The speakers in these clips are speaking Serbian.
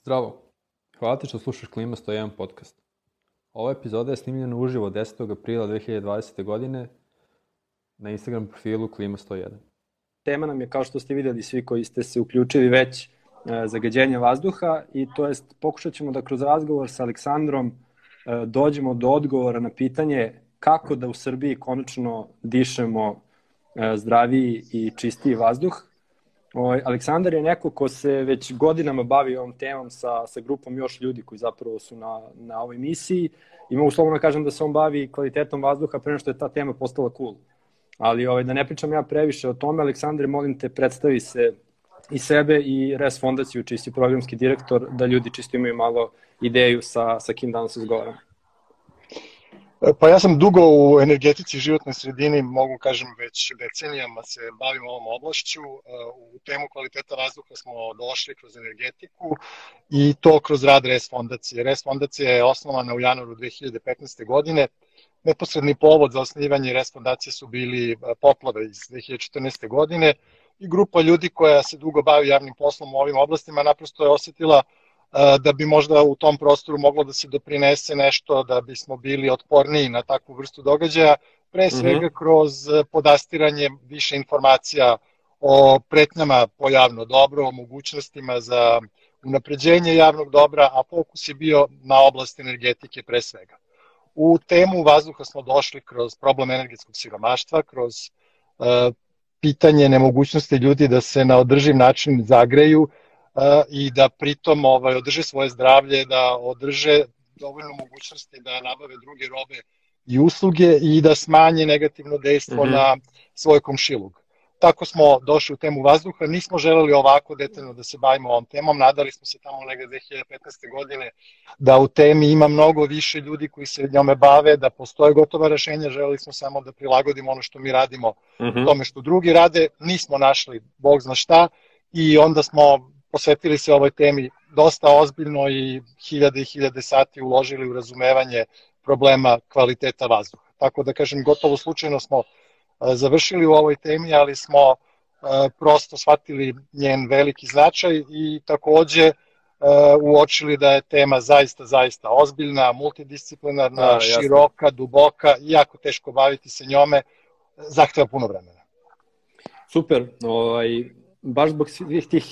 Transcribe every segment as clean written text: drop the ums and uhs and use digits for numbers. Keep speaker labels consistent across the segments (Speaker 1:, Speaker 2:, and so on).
Speaker 1: Zdravo! Hvala ti što slušaš Klima 101 podcast. Ova epizoda je snimljena uživo 10. aprila 2020. godine na Instagram profilu Klima 101.
Speaker 2: Tema nam je, kao što ste vidjeli svi koji ste se uključili već, zagađenje vazduha i to jest pokušat ćemo da kroz razgovor sa Aleksandrom dođemo do odgovora na pitanje kako da u Srbiji konačno dišemo zdraviji i čistiji vazduh. Aleksandar je neko ko se već godinama bavi ovom temom sa grupom još ljudi koji zapravo su na ovoj misiji i mogu slobodno kažem da se on bavi kvalitetom vazduha pre nego što je ta tema postala cool. Ali da ne pričam ja previše o tome, Aleksandre, molim te, predstavi se i sebe i RES fondaciju, čiji si programski direktor, da ljudi čisto imaju malo ideju sa kim danas razgovaramo.
Speaker 3: Pa ja sam dugo u energetici i životnoj sredini, mogu kažem već decenijama se bavim ovom oblašću. U temu kvaliteta vazduha smo došli kroz energetiku i to kroz rad RES fondacije. RES fondacija je osnovana u januaru 2015. godine. Neposredni povod za osnivanje RES fondacije su bili poplave iz 2014. godine i grupa ljudi koja se dugo bavi javnim poslom u ovim oblastima naprosto je osetila da bi možda u tom prostoru moglo da se doprinese nešto, da bismo bili otporniji na takvu vrstu događaja, pre svega kroz podastiranje više informacija o pretnjama po javno dobro, o mogućnostima za unapređenje javnog dobra, a fokus je bio na oblast energetike pre svega. U temu vazduha smo došli kroz problem energetskog siromaštva, kroz pitanje nemogućnosti ljudi da se na održiv način zagreju i da pritom održe svoje zdravlje, da održe dovoljno mogućnosti da nabave druge robe i usluge i da smanje negativno dejstvo na svoj komšiluk. Tako smo došli u temu vazduha, nismo želeli ovako detaljno da se bavimo ovom temom, nadali smo se tamo negde 2015. godine da u temi ima mnogo više ljudi koji se njome bave, da postoje gotova rešenja, želeli smo samo da prilagodimo ono što mi radimo tome što drugi rade, nismo našli bog zna šta i onda smo posvetili se ovoj temi dosta ozbiljno i hiljade sati uložili u razumevanje problema kvaliteta vazduha. Tako da kažem, gotovo slučajno smo završili u ovoj temi, ali smo prosto shvatili njen veliki značaj i takođe uočili da je tema zaista ozbiljna, multidisciplinarna, široka, duboka i jako teško baviti se njome, zahteva puno vremena.
Speaker 2: Super, baš zbog svih tih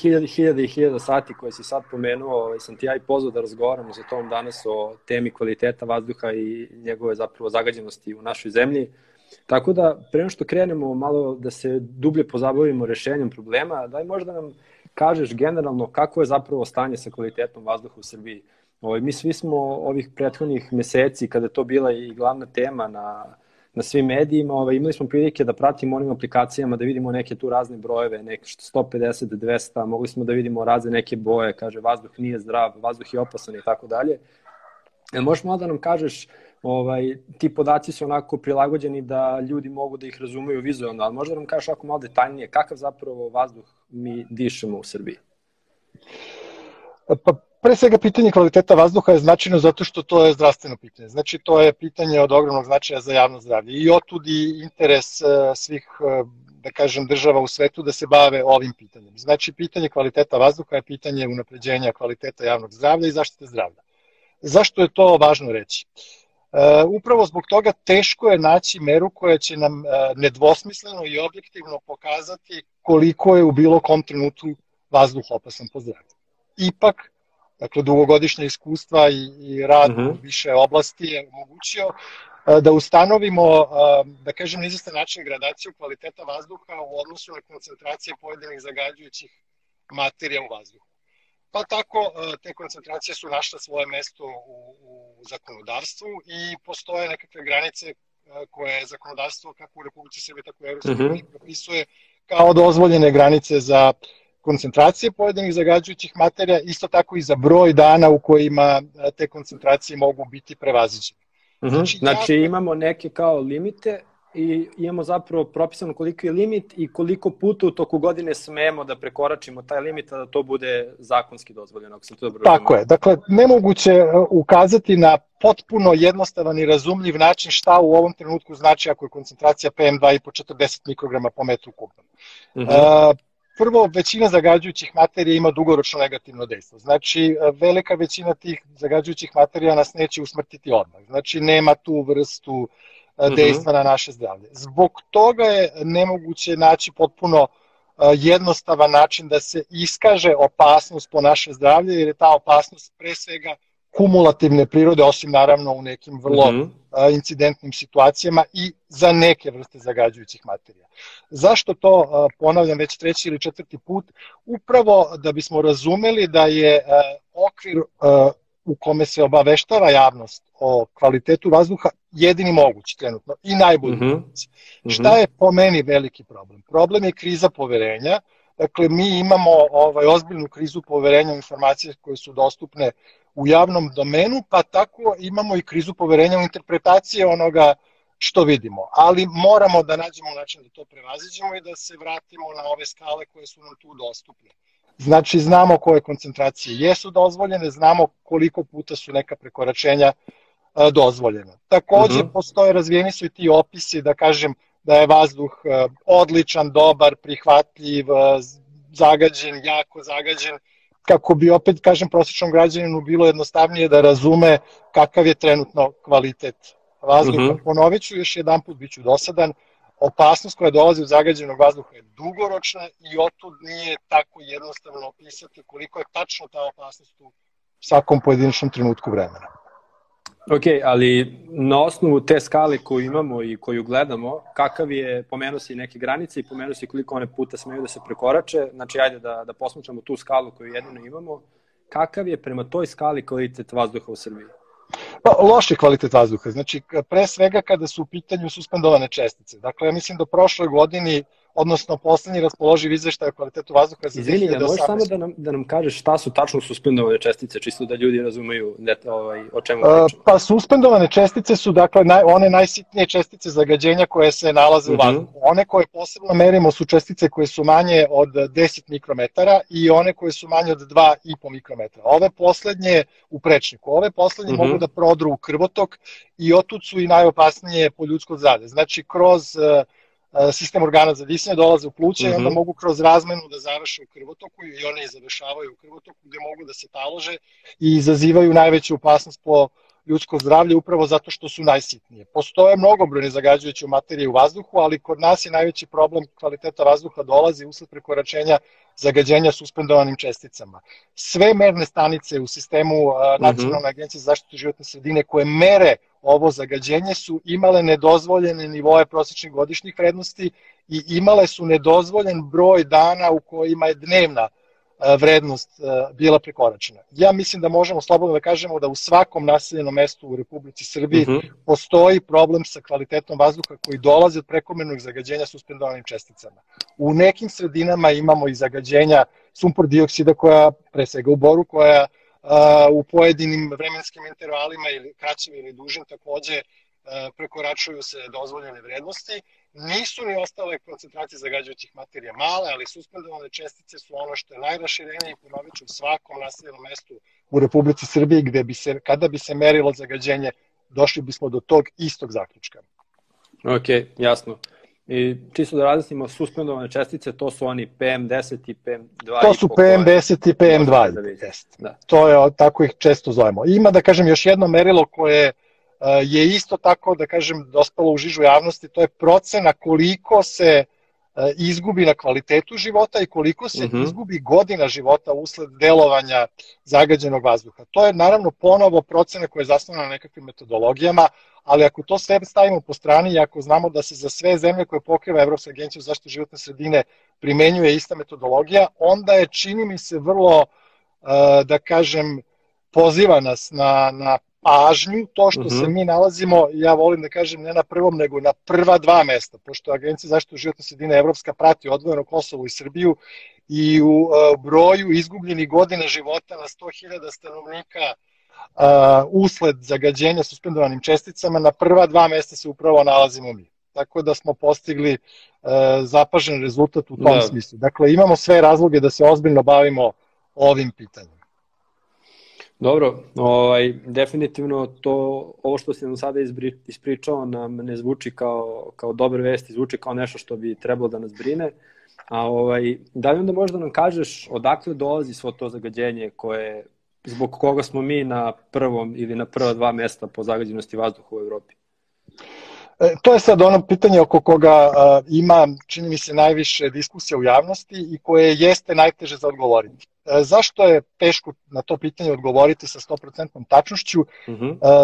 Speaker 2: hiljada sati koje si sad pomenuo, sam ti ja i pozvao da razgovaramo sa tom danas o temi kvaliteta vazduha i njegove zapravo zagađenosti u našoj zemlji. Tako da, pre nego što krenemo malo da se dublje pozabavimo rešenjem problema, daj možda nam kažeš generalno kako je zapravo stanje sa kvalitetom vazduha u Srbiji. Mi svi smo ovih prethodnih meseci, kada je to bila i glavna tema na svim medijima, imali smo prilike da pratimo onim aplikacijama, da vidimo neke tu razne brojeve, neke 150, 200, mogli smo da vidimo razne neke boje, kaže vazduh nije zdrav, vazduh je opasan i tako dalje. Možeš malo da nam kažeš, ti podaci su onako prilagođeni da ljudi mogu da ih razumeju vizualno, ali možda nam kažeš ako malo detaljnije, kakav zapravo vazduh mi dišemo u Srbiji?
Speaker 3: Pa pre svega pitanje kvaliteta vazduha je značajno zato što to je zdravstveno pitanje. Znači to je pitanje od ogromnog značaja za javno zdravlje i otud i interes svih, da kažem, država u svetu da se bave ovim pitanjem. Znači pitanje kvaliteta vazduha je pitanje unapređenja kvaliteta javnog zdravlja i zaštite zdravlja. Zašto je to važno reći? Upravo zbog toga teško je naći meru koja će nam nedvosmisleno i objektivno pokazati koliko je u bilo kom trenutku vazduh opasan po zdravlje. Ipak, dakle, dugogodišnje iskustva i rad u više oblasti je omogućio da ustanovimo, da kažem, na izvestan način gradaciju kvaliteta vazduha u odnosu na koncentracije pojedinih zagađujućih materija u vazduhu. Pa tako, te koncentracije su našle svoje mesto u zakonodavstvu i postoje nekakve granice koje zakonodavstvo kako u Republici Srbije, tako i Evropske unije propisuje kao dozvoljene granice za koncentracije pojedinih zagađujućih materija, isto tako i za broj dana u kojima te koncentracije mogu biti prevaziđene.
Speaker 2: Znači imamo neke kao limite i imamo zapravo propisano koliko je limit i koliko puta u toku godine smemo da prekoračimo taj limit, a da to bude zakonski dozvoljeno.
Speaker 3: Tako je. Dakle, nemoguće ukazati na potpuno jednostavan i razumljiv način šta u ovom trenutku znači ako je koncentracija PM2,5 40 mikrograma po metru kubnom. prvo, većina zagađujućih materija ima dugoročno negativno dejstvo. Znači, velika većina tih zagađujućih materija nas neće usmrtiti odmah. Znači, nema tu vrstu dejstva na naše zdravlje. Zbog toga je nemoguće naći potpuno jednostavan način da se iskaže opasnost po naše zdravlje, jer je ta opasnost pre svega kumulativne prirode, osim naravno u nekim vrlo incidentnim situacijama i za neke vrste zagađujućih materija. Zašto to ponavljam već 3. ili 4. put? Upravo da bismo razumeli da je okvir u kome se obaveštava javnost o kvalitetu vazduha jedini mogući trenutno i najbolji mogući. Šta je po meni veliki problem? Problem je kriza poverenja. Dakle, mi imamo ozbiljnu krizu poverenja u informacije koje su dostupne u javnom domenu, pa tako imamo i krizu poverenja u interpretacije onoga što vidimo. Ali moramo da nađemo način da to prevaziđemo i da se vratimo na ove skale koje su nam tu dostupne. Znači, znamo koje koncentracije jesu dozvoljene, znamo koliko puta su neka prekoračenja dozvoljena. Takođe, razvijeni su i ti opisi, da kažem, da je vazduh odličan, dobar, prihvatljiv, zagađen, jako zagađen, kako bi opet, kažem, prosječnom građaninu bilo jednostavnije da razume kakav je trenutno kvalitet vazduha. Ponovit ću još jedan put, bit ću dosadan, opasnost koja dolazi od zagađenog vazduha je dugoročna i otud nije tako jednostavno opisati koliko je tačno ta opasnost u svakom pojedinačnom trenutku vremena.
Speaker 2: Ok, ali na osnovu te skale koju imamo i koju gledamo, kakav je, pomenuo si neke granice i pomenuo si koliko one puta smeju da se prekorače, znači ajde da posmatramo tu skalu koju jedino imamo, kakav je prema toj skali kvalitet vazduha u Srbiji?
Speaker 3: Pa, loš je kvalitet vazduha, znači pre svega kada su u pitanju suspendovane čestice. Dakle, ja mislim da prošloj godini, odnosno poslednji raspoloživ izveštaj o kvalitetu vazduha za 2018.
Speaker 2: Izvini, da možeš samo da nam kažeš šta su tačno suspendovane čestice, čisto da ljudi razumeju o čemu pričamo?
Speaker 3: Pa suspendovane čestice su dakle one najsitnije čestice zagađenja koje se nalaze u vazduhu. One koje posebno merimo su čestice koje su manje od 10 mikrometara i one koje su manje od 2,5 mikrometara. Ove poslednje u prečniku, ove poslednje mogu da prodru u krvotok i otud su i najopasnije po ljudsko zdravlje. Znači, kroz sistem organa za disanje dolaze u pluća i onda mogu kroz razmenu da završe u krvotoku i one i završavaju u krvotoku gde mogu da se talože i izazivaju najveću opasnost po ljudsko zdravlje upravo zato što su najsitnije. Postoje mnogobrojne zagađujuće materije u vazduhu, ali kod nas je najveći problem kvaliteta vazduha dolazi usled prekoračenja zagađenja suspendovanim česticama. Sve merne stanice u sistemu Nacionalne agencije za zaštitu životne sredine koje mere ovo zagađenje su imale nedozvoljene nivoe prosječnih godišnjih vrednosti i imale su nedozvoljen broj dana u kojima je dnevna vrednost bila prekoračena. Ja mislim da možemo slobodno da kažemo da u svakom naseljenom mestu u Republici Srbiji postoji problem sa kvalitetom vazduha koji dolazi od prekomernog zagađenja suspendovanim česticama. U nekim sredinama imamo i zagađenja sumpor dioksida koja, pre svega u Boru, koja u pojedinim vremenskim intervalima ili kraćim ili dužim takođe prekoračuju se dozvoljene vrednosti. Nisu ni ostale koncentracije zagađujućih materija male, ali suspendovane čestice su ono što je najraširenije i ponovit ću u svakom naseljenom mestu u Republici Srbiji gde bi se, kada bi se merilo zagađenje, došli bismo do tog istog zaključka.
Speaker 2: Ok, jasno. I čisto da različimo, suspendovane čestice, to su oni PM10 i PM2.
Speaker 3: To su PM10 i PM2. To je, tako ih često zovemo. Ima, da kažem, još jedno merilo koje je isto tako, da kažem, dospelo u žižu javnosti, to je procena koliko se izgubi na kvalitetu života i koliko se izgubi godina života usled delovanja zagađenog vazduha. To je naravno ponovo procena koja je zasnovana na nekakvim metodologijama, ali ako to sve stavimo po strani i ako znamo da se za sve zemlje koje pokriva Evropska agencija za zaštitu životne sredine primenjuje ista metodologija, onda je, čini mi se, vrlo, da kažem, poziva nas na pažnju, to što se mi nalazimo, ja volim da kažem, ne na prvom, nego na prva dva mesta, pošto Agencija za zaštitu životne sredine Evropska prati odvojeno Kosovo i Srbiju i u broju izgubljenih godina života na 100.000 stanovnika usled zagađenja suspendovanim česticama, na prva dva mesta se upravo nalazimo mi. Tako da smo postigli zapažen rezultat u tom smislu. Dakle, imamo sve razloge da se ozbiljno bavimo ovim pitanjem.
Speaker 2: Dobro, definitivno ovo što si nam sada ispričao nam ne zvuči kao dobar vest, zvuči kao nešto što bi trebalo da nas brine. A da li onda možda nam kažeš odakle dolazi svo to zagađenje zbog koga smo mi na prvom ili na prva 2 mesta po zagađenosti vazduha u Evropi?
Speaker 3: To je sad ono pitanje oko koga ima, čini mi se, najviše diskusija u javnosti i koje jeste najteže za odgovoriti. Zašto je teško na to pitanje odgovoriti sa 100% tačnošću?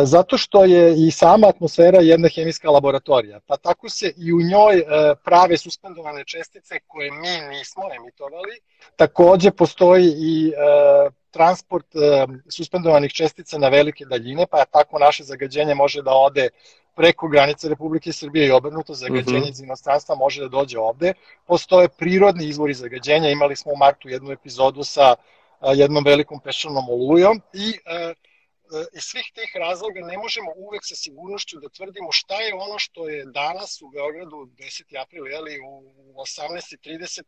Speaker 3: Zato što je i sama atmosfera jedna hemijska laboratorija, pa tako se i u njoj prave suspendovane čestice koje mi nismo emitovali. Takođe postoji i transport suspendovanih čestica na velike daljine, pa tako naše zagađenje može da ode preko granice Republike Srbije i obrnuto, zagađenje iz inostranstva može da dođe ovde. Postoje prirodni izvori zagađenja, imali smo u martu jednu epizodu sa jednom velikom peščanom olujom i iz svih tih razloga ne možemo uvek sa sigurnošću da tvrdimo šta je ono što je danas u Beogradu 10. april, u 18.30,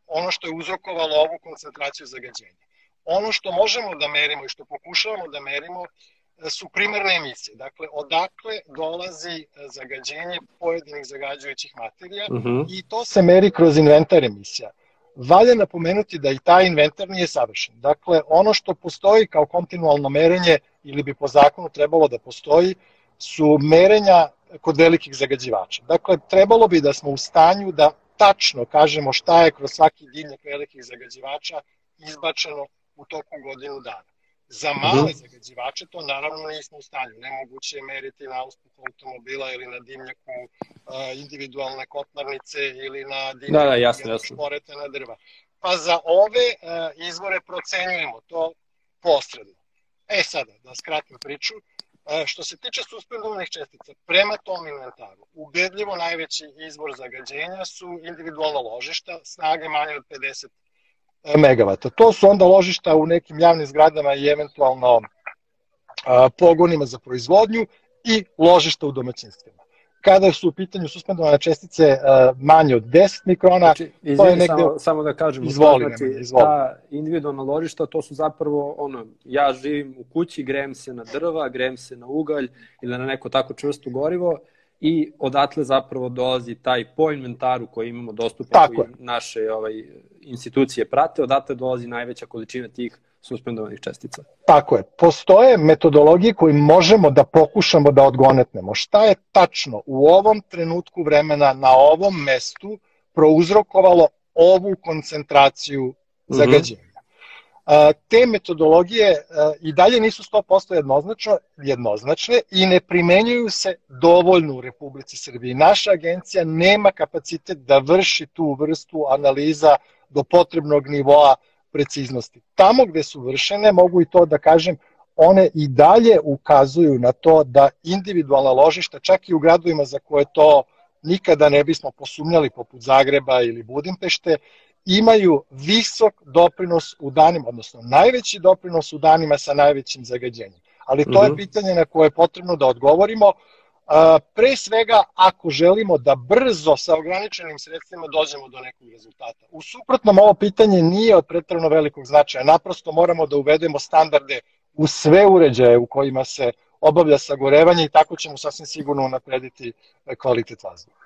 Speaker 3: ono što je uzrokovalo ovu koncentraciju zagađenja. Ono što možemo da merimo i što pokušavamo da merimo su primarne emisije. Dakle, odakle dolazi zagađenje pojedinih zagađujućih materija i to se meri kroz inventar emisija. Valja napomenuti da i taj inventar nije savršen. Dakle, ono što postoji kao kontinualno merenje ili bi po zakonu trebalo da postoji su merenja kod velikih zagađivača. Dakle, trebalo bi da smo u stanju da tačno kažemo šta je kroz svaki dimnjak velikih zagađivača izbačeno u toku godinu dana. Za male zagađivače to naravno nismo u stanju. Nemoguće je meriti na uspuhu automobila ili na dimnjaku individualne kotlarnice ili na dimnjaku šporetana drva. Pa za ove izvore procenjujemo to posredno. Sada, da skratim priču, što se tiče suspendovanih čestica, prema tom inventaru, ubedljivo najveći izvor zagađenja su individualna ložišta, snage manje od 50 megavata. To su onda ložišta u nekim javnim zgradama i eventualno pogonima za proizvodnju i ložišta u domaćinstvima. Kada su u pitanju suspendovane čestice manje od 10 mikrona, to je negde...
Speaker 2: Samo da kažem,
Speaker 3: izvoli.
Speaker 2: Ta individualna ložišta, to su zapravo ja živim u kući, grejem se na drva, grejem se na ugalj ili na neko tako čvrsto gorivo i odatle zapravo dolazi taj po inventaru koji imamo dostupan, koji naše institucije prate, odatle dolazi najveća količina tih suspendovanih čestica.
Speaker 3: Tako je. Postoje metodologije koje možemo da pokušamo da odgonetnemo. Šta je tačno u ovom trenutku vremena na ovom mestu prouzrokovalo ovu koncentraciju zagađenja? Te metodologije i dalje nisu 100% jednoznačne i ne primenjuju se dovoljno u Republici Srbiji. Naša agencija nema kapacitet da vrši tu vrstu analiza do potrebnog nivoa preciznosti. Tamo gde su vršene, mogu i to da kažem, one i dalje ukazuju na to da individualna ložišta, čak i u gradovima za koje to nikada ne bismo posumnjali, poput Zagreba ili Budimpešte, imaju visok doprinos u danima, odnosno najveći doprinos u danima sa najvećim zagađenjem. Ali to je pitanje na koje je potrebno da odgovorimo. Pre svega, ako želimo da brzo sa ograničenim sredstvima dođemo do nekog rezultata. U suprotnom, ovo pitanje nije od preterano velikog značaja. Naprosto moramo da uvedemo standarde u sve uređaje u kojima se obavlja sagorevanje i tako ćemo sasvim sigurno unaprediti kvalitet vazduha.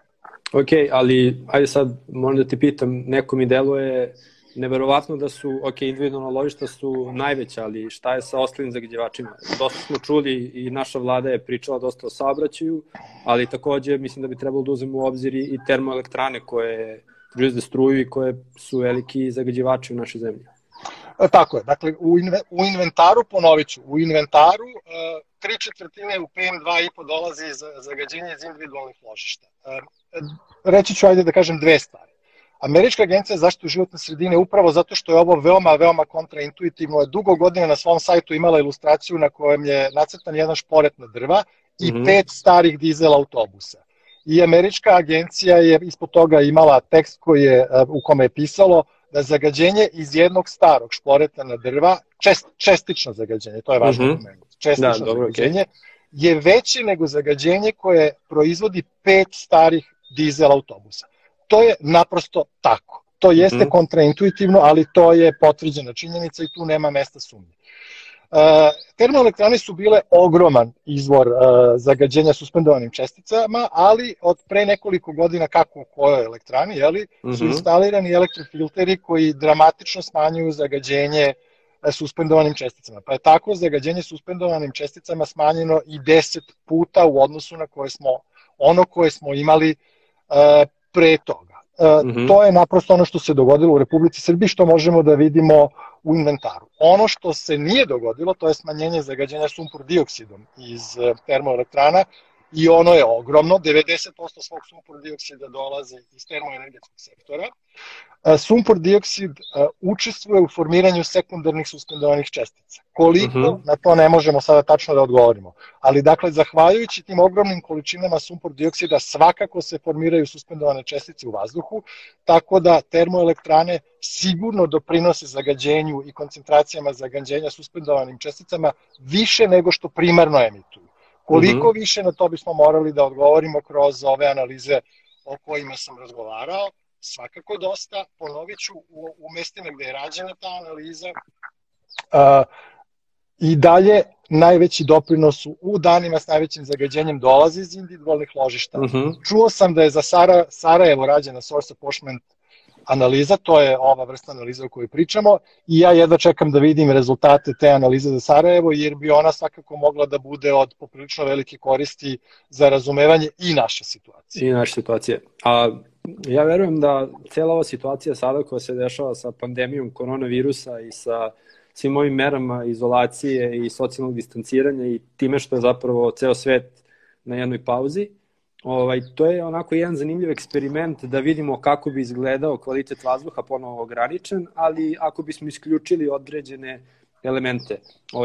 Speaker 2: Ok, ali ajde sad moram da ti pitam, neko mi deluje neverovatno da su, individualna ložišta su najveća, ali šta je sa ostalim zagađivačima? Dosta smo čuli i naša vlada je pričala dosta o saobraćaju, ali takođe mislim da bi trebalo da uzmemo u obzir i termoelektrane koje proizvode struju i koje su veliki zagađivači u našoj zemlji.
Speaker 3: Tako je, dakle u inventaru, ponovit ću, u inventaru 3/4 u PM2,5 dolazi zagađenje iz individualnih ložišta. Reći ću, ajde da kažem, dve stvari. Američka agencija za zaštitu životne sredine, upravo zato što je ovo veoma kontraintuitivno, je dugo godina na svom sajtu imala ilustraciju na kojem je nacrtan jedan šporet na drva i 5 starih dizel autobusa. I američka agencija je ispod toga imala tekst u kome je pisalo da zagađenje iz jednog starog šporeta na drva, čestično zagađenje, to je važno pomenuti, čestično zagađenje, je veće nego zagađenje koje proizvodi 5 starih dizel autobusa. To je naprosto tako. To jeste kontraintuitivno, ali to je potvrđena činjenica i tu nema mesta sumnje. Termoelektrane su bile ogroman izvor zagađenja suspendovanim česticama, ali od pre nekoliko godina, kako u kojoj elektrani, su instalirani elektrofilteri koji dramatično smanjuju zagađenje suspendovanim česticama. Pa je tako zagađenje suspendovanim česticama smanjeno i 10 puta u odnosu na ono koje smo imali pre toga. To je naprosto ono što se dogodilo u Republici Srbiji, što možemo da vidimo u inventaru. Ono što se nije dogodilo, to je smanjenje zagađenja sumpor dioksidom iz termoelektrana, i ono je ogromno, 90% svog sumpor dioksida dolazi iz termoenergetskog sektora. Sumpor dioksid učestvuje u formiranju sekundarnih suspendovanih čestica. Koliko, na to ne možemo sada tačno da odgovorimo. Ali, dakle, zahvaljujući tim ogromnim količinama sumpor dioksida, svakako se formiraju suspendovane čestice u vazduhu, tako da termoelektrane sigurno doprinose zagađenju i koncentracijama zagađenja suspendovanim česticama više nego što primarno emituju. Koliko više, na to bismo morali da odgovorimo kroz ove analize o kojima sam razgovarao. Svakako dosta, ponovit ću, u mestima gde je rađena ta analiza, i dalje najveći doprinos u danima s najvećim zagađenjem dolazi iz individualnih ložišta. Čuo sam da je za Sarajevo rađena source apportionment analiza, to je ova vrsta analiza o kojoj pričamo, i ja jedva čekam da vidim rezultate te analize za Sarajevo, jer bi ona svakako mogla da bude od poprilično velike koristi za razumevanje i naše situacije.
Speaker 2: I naše situacije. A ja verujem da cijela ova situacija sada koja se dešava sa pandemijom koronavirusa i sa svim ovim merama izolacije i socijalnog distanciranja i time što je zapravo ceo svet na jednoj pauzi, to je onako jedan zanimljiv eksperiment da vidimo kako bi izgledao kvalitet vazduha, ponovo ograničen, ali ako bismo isključili određene elemente.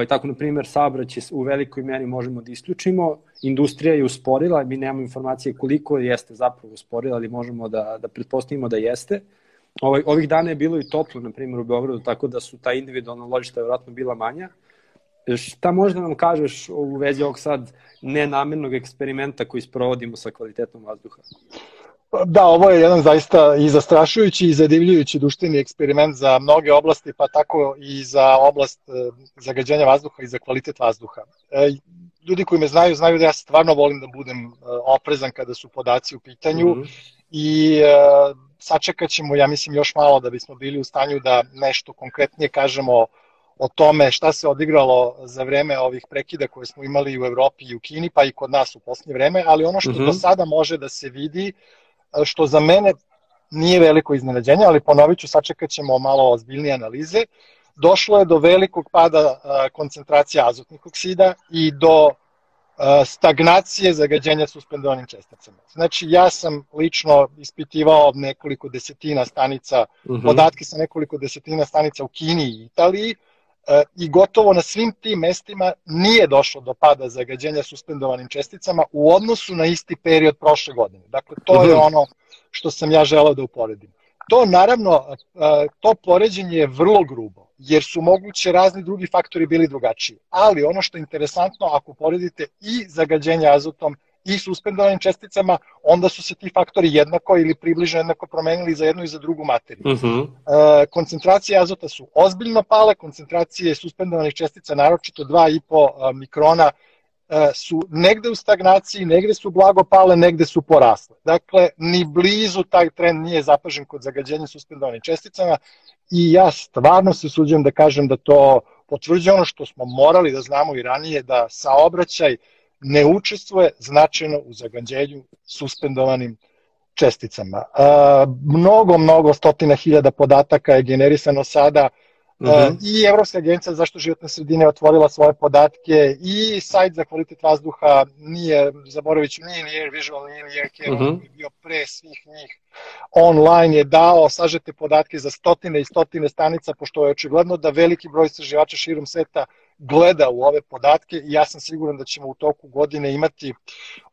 Speaker 2: Tako, na primjer, saobraćaj u velikoj meri možemo da isključimo, industrija je usporila, mi nemamo informacije koliko jeste zapravo usporila, ali možemo da pretpostavimo da jeste. Ovih dana je bilo i toplo, na primjer, u Beogradu, tako da su ta individualna ložišta vjerojatno bila manja. Šta možda nam kažeš u vezi ovog sad nenamenog eksperimenta koji sprovodimo sa kvalitetom vazduha?
Speaker 3: Da, ovo je jedan zaista i zastrašujući i zadivljujući društveni eksperiment za mnoge oblasti, pa tako i za oblast zagađenja vazduha i za kvalitet vazduha. Ljudi koji me znaju da ja stvarno volim da budem oprezan kada su podaci u pitanju i sačekat ćemo, ja mislim, još malo da bismo bili u stanju da nešto konkretnije kažemo o tome šta se odigralo za vreme ovih prekida koje smo imali u Evropi i u Kini, pa i kod nas u posljednje vreme, ali ono što do sada može da se vidi, što za mene nije veliko iznenađenje, ali ponovit ću, sačekat ćemo malo ozbiljnije analize, došlo je do velikog pada koncentracije azotnih oksida i do stagnacije zagađenja suspendovanim česticama. Znači, ja sam lično ispitivao nekoliko desetina stanica, podatke sa nekoliko desetina stanica u Kini i Italiji, i gotovo na svim tim mestima nije došlo do pada zagađenja suspendovanim česticama u odnosu na isti period prošle godine. Dakle, to je ono što sam ja želeo da uporedim. To, naravno, to poređenje je vrlo grubo, jer su moguće razni drugi faktori bili drugačiji. Ali ono što je interesantno, ako poredite i zagađenje azotom i suspendovanim česticama, onda su se ti faktori jednako ili približno jednako promenili za jednu i za drugu materiju. Koncentracije azota su ozbiljno pale, koncentracije suspendovanih čestica, naročito 2,5 mikrona, su negde u stagnaciji, negde su blago pale, negde su porasle. Dakle, ni blizu taj trend nije zapažen kod zagađenja suspendovanim česticama i ja stvarno se usuđujem da kažem da to potvrđuje ono što smo morali da znamo i ranije, da saobraćaj ne učestvuje značajno u zagađenju suspendovanim česticama. Mnogo stotina hiljada podataka je generisano sada, i Evropska agencija za zaštitu životne sredine otvorila svoje podatke i sajt za kvalitet vazduha, zaboravit ću, nije ni Air Visual, nije ni Air Care, on je bio pre svih njih, online je dao sažete podatke za stotine i stotine stanica, pošto je očigledno da veliki broj istraživača širom sveta gleda u ove podatke i ja sam siguran da ćemo u toku godine imati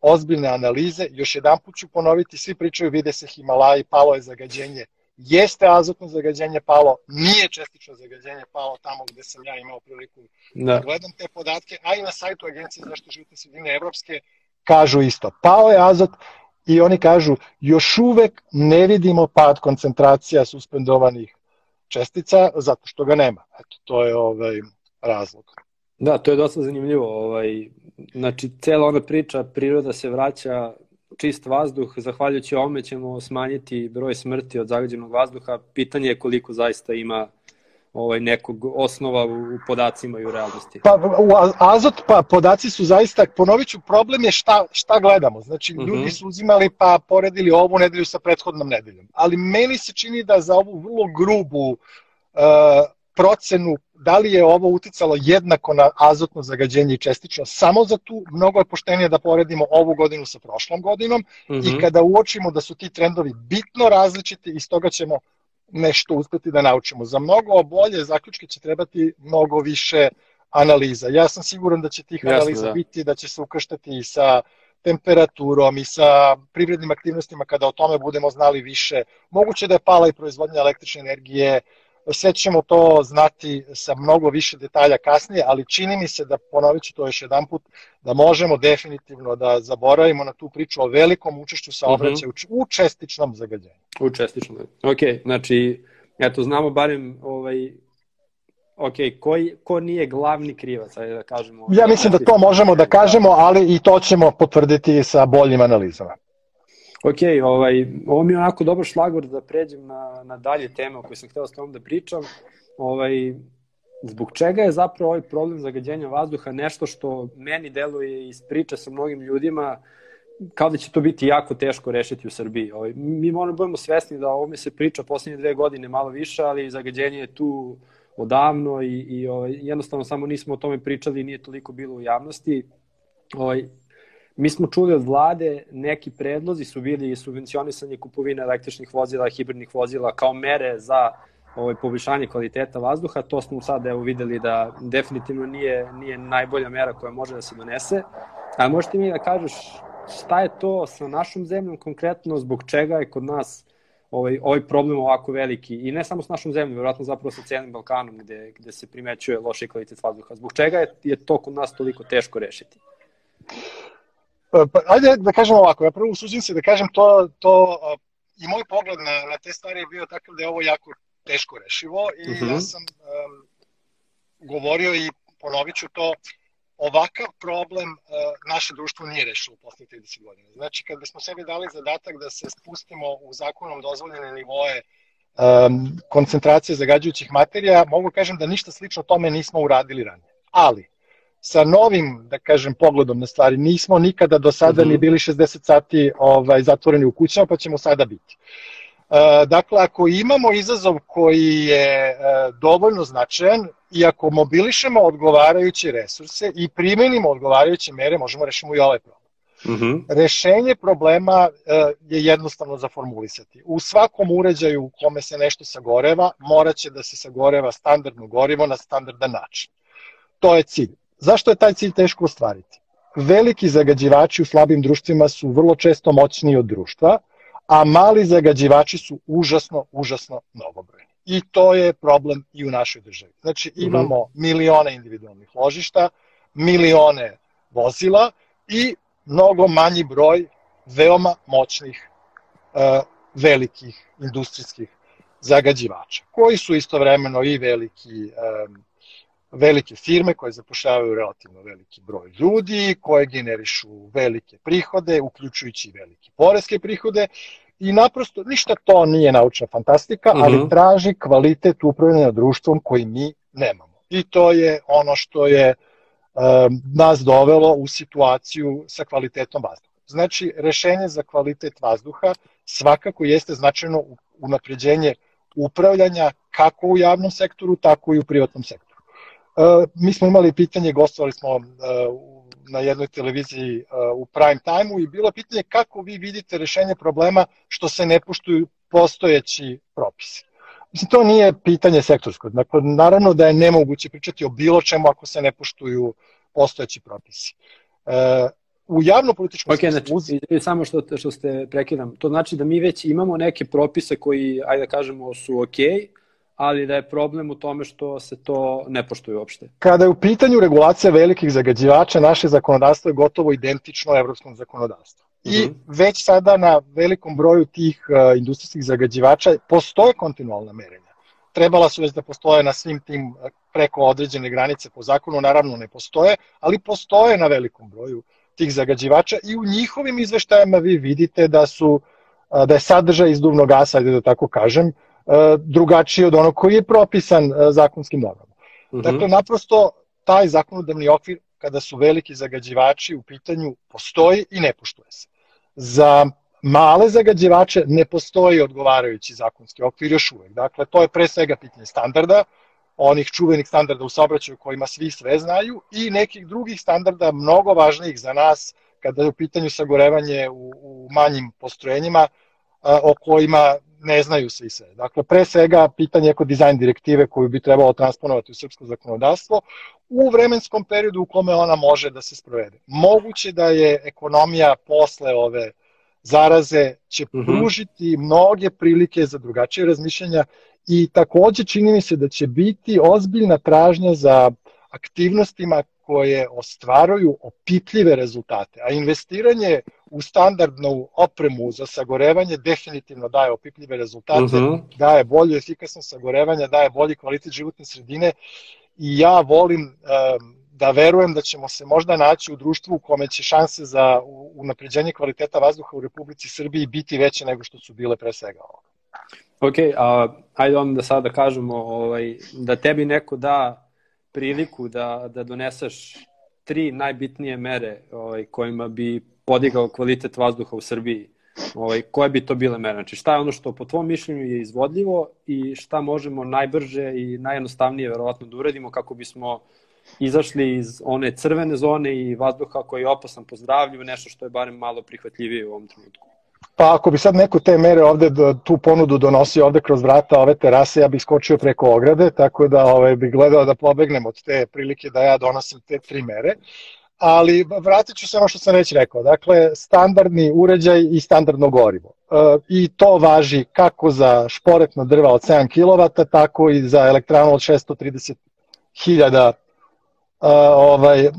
Speaker 3: ozbiljne analize. Još jedan put ću ponoviti, svi pričaju, vide se Himalaji, palo je zagađenje. Jeste azotno zagađenje palo, nije čestično zagađenje palo tamo gde sam ja imao priliku da gledam te podatke, a i na sajtu Agencije za zaštitu životne sredine Evropske kažu isto. Pao je azot i oni kažu još uvek ne vidimo pad koncentracija suspendovanih čestica zato što ga nema. Eto, to je razlog.
Speaker 2: Da, to je dosta zanimljivo. Znači, cela ona priča, priroda se vraća, čist vazduh, zahvaljujući ovome ćemo smanjiti broj smrti od zagađenog vazduha. Pitanje je koliko zaista ima nekog osnova u podacima i u realnosti.
Speaker 3: Pa podaci su zaista, ponovit ću, problem je šta gledamo. Znači, ljudi su uzimali pa poredili ovu nedelju sa prethodnom nedeljom. Ali meni se čini da za ovu vrlo grubu procenu da li je ovo uticalo jednako na azotno zagađenje i čestično, samo za tu, mnogo je poštenije da poredimo ovu godinu sa prošlom godinom i kada uočimo da su ti trendovi bitno različiti, iz toga ćemo nešto uspeti da naučimo. Za mnogo bolje zaključke će trebati mnogo više analiza. Ja sam siguran da će tih analiza biti, da će se ukrštati i sa temperaturom i sa privrednim aktivnostima kada o tome budemo znali više. Moguće da je pala i proizvodnja električne energije, sve ćemo to znati sa mnogo više detalja kasnije, ali čini mi se da, ponovit ću to još jedan put, da možemo definitivno da zaboravimo na tu priču o velikom učešću saobraćaja u čestičnom zagađenju.
Speaker 2: U čestičnom, ok, znači, eto, znamo barem, ko nije glavni krivac, ajde da kažemo.
Speaker 3: Ja mislim da to možemo da kažemo, ali i to ćemo potvrditi sa boljim analizama.
Speaker 2: Ok, ovo mi je onako dobar šlagvort da pređem na dalje teme o kojoj sam hteo s tom da pričam. Zbog čega je zapravo ovaj problem zagađenja vazduha nešto što meni deluje iz priče sa mnogim ljudima kao da će to biti jako teško rešiti u Srbiji. Mi moramo budemo svesni da o ovome se priča poslednje 2 godine malo više, ali zagađenje je tu odavno i jednostavno samo nismo o tome pričali i nije toliko bilo u javnosti. Mi smo čuli od vlade, neki predlozi su bili subvencionisanje kupovine električnih vozila, hibridnih vozila kao mere za poboljšanje kvaliteta vazduha. To smo sad videli da definitivno nije najbolja mera koja može da se donese. A možete mi da kažeš šta je to sa našom zemljom konkretno, zbog čega je kod nas ovaj problem ovako veliki i ne samo s našom zemljom, vjerojatno zapravo sa cijelim Balkanom gde se primećuje loši kvalitet vazduha. Zbog čega je to kod nas toliko teško rešiti?
Speaker 3: Ajde da kažem ovako, ja prvo usuđim se da kažem to i moj pogled na te stvari je bio takav da je ovo jako teško rešivo i ja sam govorio i ponovit ću to, ovakav problem naše društvo nije rešilo u poslednjih 30 godina. Znači, kada smo sebi dali zadatak da se spustimo u zakonom dozvoljene nivoe koncentracije zagađujućih materija, mogu kažem da ništa slično tome nismo uradili ranije. Ali, sa novim, da kažem, pogledom na stvari, nismo nikada do sada ni bili 60 sati zatvoreni u kućama, pa ćemo sada biti. Dakle, ako imamo izazov koji je dovoljno značajan i ako mobilišemo odgovarajuće resurse i primenimo odgovarajuće mere, možemo rešiti i ovaj problem. Rešenje problema je jednostavno zaformulisati. U svakom uređaju u kome se nešto sagoreva, moraće da se sagoreva standardno gorivo na standardan način. To je cilj. Zašto je taj cilj teško ostvariti? Veliki zagađivači u slabim društvima su vrlo često moćniji od društva, a mali zagađivači su užasno mnogobrojni. I to je problem i u našoj državi. Znači, imamo milione individualnih ložišta, milione vozila i mnogo manji broj veoma moćnih velikih industrijskih zagađivača, koji su istovremeno i velike firme koje zapošljavaju relativno veliki broj ljudi, koje generišu velike prihode, uključujući i velike poreske prihode i naprosto ništa to nije naučna fantastika, ali traži kvalitet upravljanja društvom koji mi nemamo. I to je ono što je nas dovelo u situaciju sa kvalitetom vazduha. Znači, rešenje za kvalitet vazduha svakako jeste značajno unapređenje upravljanja kako u javnom sektoru, tako i u privatnom sektoru. Mi smo imali pitanje, gostovali smo na jednoj televiziji u prime time-u i bilo je pitanje kako vi vidite rešenje problema što se ne poštuju postojeći propisi. Mislim, to nije pitanje sektorsko. Dakle, naravno da je nemoguće pričati o bilo čemu ako se ne poštuju postojeći propisi. U javno-političkom
Speaker 2: smislu... Znači, samo što ste prekidam, to znači da mi već imamo neke propise koji, ajde da kažemo, su okej, ali da je problem u tome što se to ne poštuje uopšte.
Speaker 3: Kada je u pitanju regulacija velikih zagađivača, naše zakonodavstvo je gotovo identično evropskom zakonodavstvu. I već sada na velikom broju tih industrijskih zagađivača postoje kontinualna merenja. trebala su već da postoje na svim tim preko određene granice po zakonu, naravno ne postoje, ali postoje na velikom broju tih zagađivača i u njihovim izveštajima vi vidite da je sadržaj izduvnog gasa, ajde da tako kažem, drugačiji od onog koji je propisan zakonskim normama. Dakle, naprosto taj zakonodavni okvir, kada su veliki zagađivači u pitanju, postoji i ne poštuje se. Za male zagađivače ne postoji odgovarajući zakonski okvir još uvek. Dakle, to je pre svega pitanje standarda, onih čuvenih standarda u saobraćaju kojima svi sve znaju i nekih drugih standarda mnogo važnijih za nas kada je u pitanju sagorevanje u manjim postrojenjima o kojima ne znaju svi sve. Dakle, pre svega pitanje ekodizajn direktive koju bi trebalo transponovati u srpsko zakonodavstvo u vremenskom periodu u kome ona može da se sprovede. Moguće da je ekonomija posle ove zaraze će pružiti mnoge prilike za drugačije razmišljanja i takođe čini mi se da će biti ozbiljna tražnja za aktivnostima koje ostvaruju opipljive rezultate, a investiranje u standardnu opremu za sagorevanje definitivno daje opipljive rezultate, daje bolju efikasnost sagorevanja, daje bolji kvalitet životne sredine i ja volim da verujem da ćemo se možda naći u društvu u kome će šanse za unapređenje kvaliteta vazduha u Republici Srbiji biti veće nego što su bile pre svega ovoga.
Speaker 2: Ok, ajde onda sada kažemo da tebi neko da priliku da doneseš 3 najbitnije mere kojima bi podigao kvalitet vazduha u Srbiji. Koje bi to bile mere? Znači šta je ono što po tvom mišljenju je izvodljivo i šta možemo najbrže i najjednostavnije verovatno da uradimo kako bismo izašli iz one crvene zone i vazduha koji je opasan po zdravlju, nešto što je barem malo prihvatljivije u ovom trenutku.
Speaker 3: Pa ako bi sad neko te mere ovde, tu ponudu donosio ovde kroz vrata ove terase, ja bih skočio preko ograde, tako da bih gledao da pobegnem od te prilike da ja donosim te 3 mere. Ali vratit ću se ono što sam već rekao, dakle standardni uređaj i standardno gorivo. I to važi kako za šporetna drva od 7 kW, tako i za elektranu od 630.000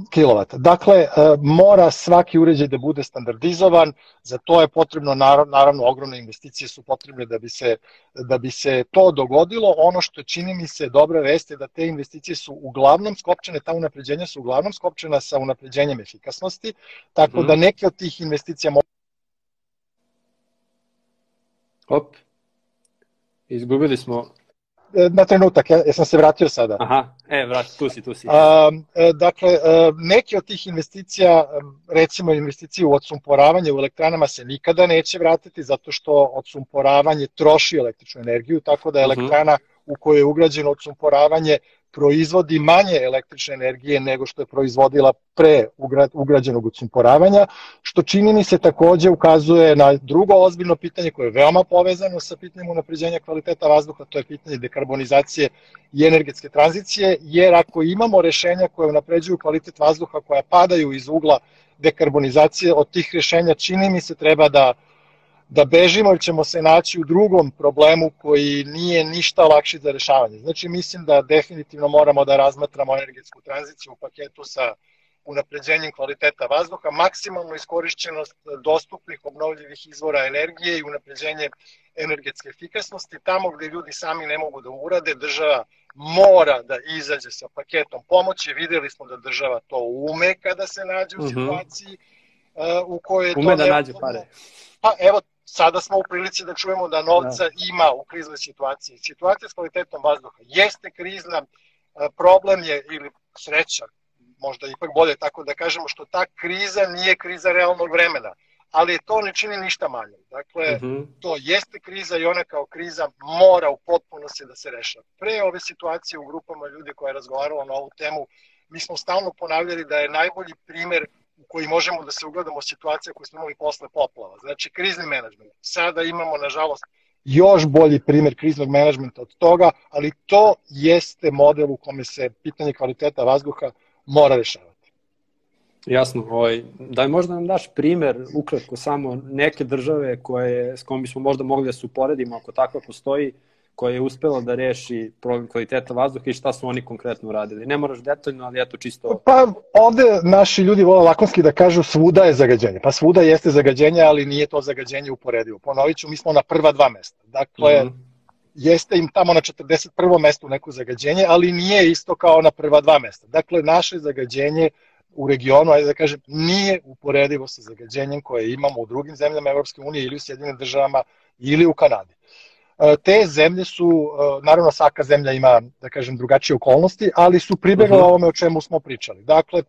Speaker 3: kilovata. Dakle, mora svaki uređaj da bude standardizovan, za to je potrebno, naravno, ogromne investicije su potrebne da bi se to dogodilo. Ono što čini mi se dobra vest je da te investicije su uglavnom skopčane, ta unapređenja su uglavnom skopčana sa unapređenjem efikasnosti, tako da neke od tih investicija
Speaker 2: izgubili smo...
Speaker 3: Na trenutak, ja sam se vratio sada.
Speaker 2: Aha, tu si.
Speaker 3: Dakle, neke od tih investicija, recimo investicije u odsumporavanje u elektranama se nikada neće vratiti zato što odsumporavanje troši električnu energiju, tako da elektrana u kojoj je ugrađeno odsumporavanje proizvodi manje električne energije nego što je proizvodila pre ugrađenog odsumporavanja, što čini mi se takođe ukazuje na drugo ozbiljno pitanje koje je veoma povezano sa pitanjem unapređenja kvaliteta vazduha, to je pitanje dekarbonizacije i energetske tranzicije, jer ako imamo rešenja koje unapređuju kvalitet vazduha, koja padaju iz ugla dekarbonizacije, od tih rešenja čini mi se treba da bežimo jer ćemo se naći u drugom problemu koji nije ništa lakši za rešavanje. Znači, mislim da definitivno moramo da razmatramo energetsku tranziciju u paketu sa unapređenjem kvaliteta vazduha, maksimalnu iskorišćenost dostupnih obnovljivih izvora energije i unapređenje energetske efikasnosti. Tamo gde ljudi sami ne mogu da urade, država mora da izađe sa paketom pomoći. Videli smo da država to ume kada se nađe u situaciji u kojoj je to
Speaker 2: ume da nađe pare.
Speaker 3: Pa evo, sada smo u prilici da čujemo da novca ima u kriznoj situaciji. Situacija s kvalitetom vazduha jeste krizna, problem je, ili sreća, možda ipak bolje tako da kažemo, što ta kriza nije kriza realnog vremena, ali to ne čini ništa manje. Dakle, to jeste kriza i ona kao kriza mora u potpunosti da se rešava. Pre ove situacije u grupama ljudi koja je razgovarala na ovu temu, mi smo stalno ponavljali da je najbolji primer u koji možemo da se ugledamo situacija koju smo imali posle poplava. Znači, krizni menadžment. Sada imamo, nažalost, još bolji primer kriznog menadžmenta od toga, ali to jeste model u kome se pitanje kvaliteta vazduha mora rešavati.
Speaker 2: Jasno. Da možda nam daš primer, ukratko, samo neke države s kojom bismo možda mogli da se uporedimo, ako takva postoji, koja je uspela da reši problem kvaliteta vazduha i šta su oni konkretno uradili. Ne moraš detaljno, ali eto čisto...
Speaker 3: Pa ovde naši ljudi vole lakonski da kažu svuda je zagađenje. Pa svuda jeste zagađenje, ali nije to zagađenje uporedivo. Ponovit ću, mi smo na prva 2 mesta. Dakle, jeste im tamo na 41. mestu neko zagađenje, ali nije isto kao na prva dva mesta. Dakle, naše zagađenje u regionu, ajde da kažem, nije uporedivo sa zagađenjem koje imamo u drugim zemljama Evropske unije ili u Sjedinim državama ili u Kanadi. Te zemlje su, naravno svaka zemlja ima, da kažem, drugačije okolnosti, ali su pribegla ovome o čemu smo pričali. Dakle,